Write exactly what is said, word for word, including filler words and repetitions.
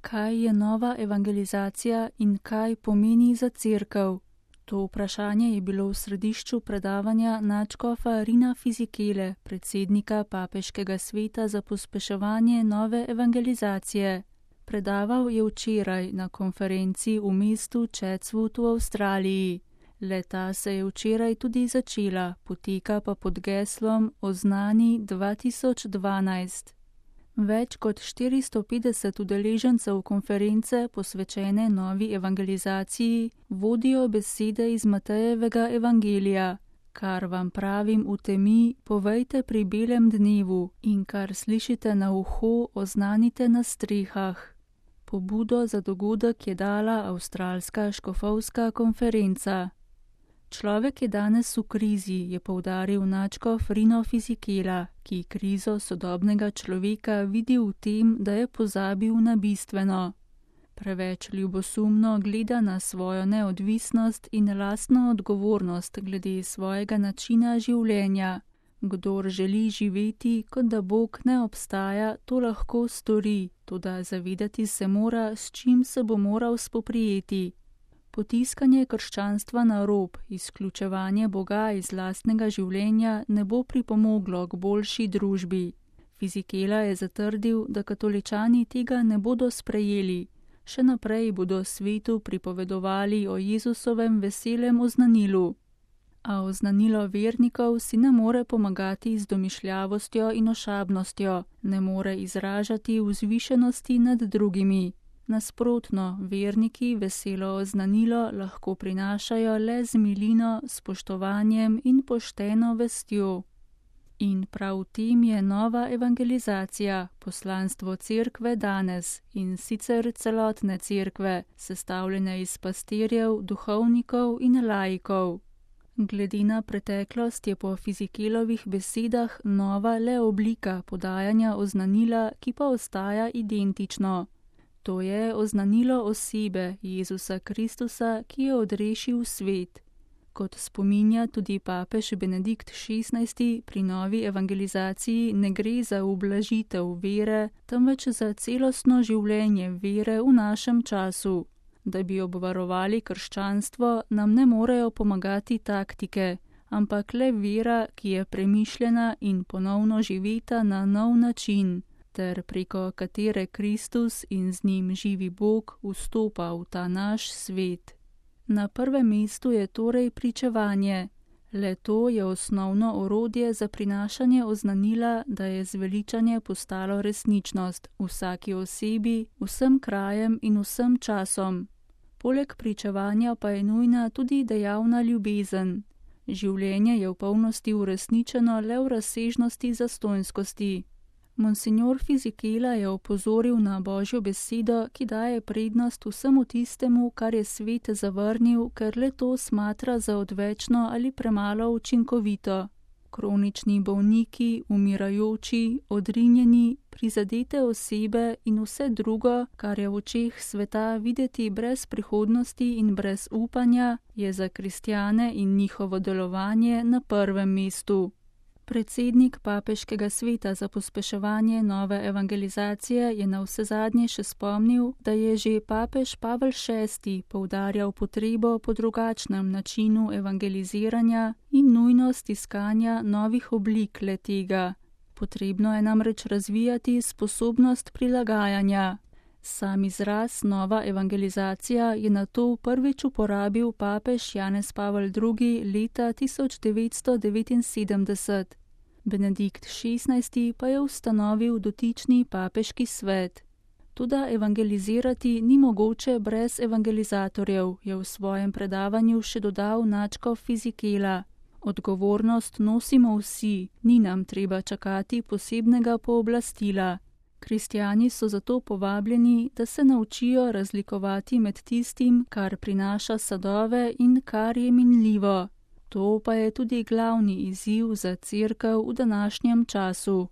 Kaj je nova evangelizacija in kaj pomeni za cerkev? To vprašanje je bilo v središču predavanja nadškofa Rina Fizikele, predsednika Papeškega sveta za pospeševanje nove evangelizacije. Predaval je včeraj na konferenci v mestu Chatswood v Avstraliji. Le-ta se je včeraj tudi začela, poteka pa pod geslom Oznani dva tisoč dvanajst. Več kot štiristo petdeset udeležencev konference posvečene novi evangelizaciji vodijo besede iz Matejevega evangelija. Kar vam pravim v temi, povejte pri belem dnevu in kar slišite na uho, oznanite na strehah. Pobudo za dogodek je dala avstralska škofovska konferenca. Človek je danes v krizi, je poudaril nadškof Rino Fizikela, ki krizo sodobnega človeka vidi v tem, da je pozabil na bistveno. Preveč ljubosumno gleda na svojo neodvisnost in lastno odgovornost glede svojega načina življenja. Kdor želi živeti, kot da Bog ne obstaja, to lahko stori, toda zavedati se mora, s čim se bo moral spoprijeti. Potiskanje krščanstva na rob, izključevanje Boga iz lastnega življenja ne bo pripomoglo k boljši družbi. Fizikela je zatrdil, da katoličani tega ne bodo sprejeli. Še naprej bodo svetu pripovedovali o Jezusovem veselem oznanilu. A oznanilo vernikov si ne more pomagati z domišljavostjo in ošabnostjo, ne more izražati vzvišenosti nad drugimi. Nasprotno, verniki veselo oznanilo lahko prinašajo le z milino, spoštovanjem in pošteno vestjo. In prav v tem je nova evangelizacija, poslanstvo cerkve danes in sicer celotne cerkve, sestavljene iz pastirjev, duhovnikov in laikov. Glede na preteklost je po Fizikelovih besedah nova le oblika podajanja oznanila, ki pa ostaja identično. To je oznanilo osebe Jezusa Kristusa, ki je odrešil svet. Kot spominja tudi papež Benedikt šestnajsti, pri novi evangelizaciji ne gre za ublažitev vere, temveč za celostno življenje vere v našem času. Da bi obvarovali krščanstvo, nam ne morejo pomagati taktike, ampak le vera, ki je premišljena in ponovno živeta na nov način, ter preko katere Kristus in z njim živi Bog vstopa v ta naš svet. Na prvem mestu je torej pričevanje. Le to je osnovno orodje za prinašanje oznanila, da je zveličanje postalo resničnost vsaki osebi, vsem krajem in vsem časom. Poleg pričevanja pa je nujna tudi dejavna ljubezen. Življenje je v polnosti uresničeno le v razsežnosti zastonjskosti. Monsignor Fizikela je opozoril na Božjo besedo, ki daje prednost vsemu tistemu, kar je svet zavrnil, ker le to smatra za odvečno ali premalo učinkovito. Kronični bolniki, umirajoči, odrinjeni, prizadete osebe in vse drugo, kar je v očeh sveta videti brez prihodnosti in brez upanja, je za kristjane in njihovo delovanje na prvem mestu. Predsednik Papeškega sveta za pospeševanje nove evangelizacije je navsezadnje še spomnil, da je že papež Pavel šesti poudarjal potrebo po drugačnem načinu evangeliziranja in nujnost iskanja novih oblik le-tega. Potrebno je namreč razvijati sposobnost prilagajanja. Sam izraz nova evangelizacija je nato prvič uporabil papež Janez Pavel drugi leta tisoč devetsto devetinsedemdeset. Benedikt šestnajsti pa je ustanovil dotični papeški svet. Toda evangelizirati ni mogoče brez evangelizatorjev, je v svojem predavanju še dodal nadškof Fizikela. Odgovornost nosimo vsi, ni nam treba čakati posebnega pooblastila. Kristjani so zato povabljeni, da se naučijo razlikovati med tistim, kar prinaša sadove in kar je minljivo. To pa je tudi glavni izziv za cerkev v današnjem času.